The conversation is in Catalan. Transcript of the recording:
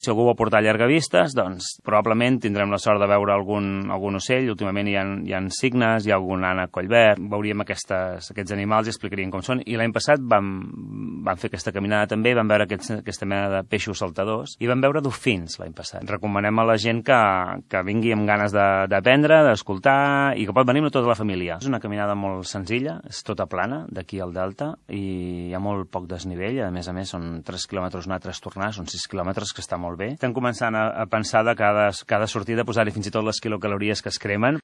Si algú vol portar llargavistes, doncs probablement tindrem la sort de veure algun ocell. Últimament hi ha cignes, hi ha algun ànec collverd. Veuríem aquests animals i explicaríem com són. I l'any passat vam fer aquesta caminada també, vam veure aquesta mena de peixos saltadors i vam veure dofins l'any passat. Recomanem a la gent que vingui amb ganes d'aprendre, d'escoltar i que pot venir amb tota la família. És una caminada molt senzilla, és tota plana d'aquí al Delta i hi ha molt poc desnivell. A més, són 3 quilòmetres anar, 3 tornar, són 6 quilòmetres, que està molt bé. Estem començant a pensar de cada sortida posar-hi fins i tot les quilocalories que es cremen.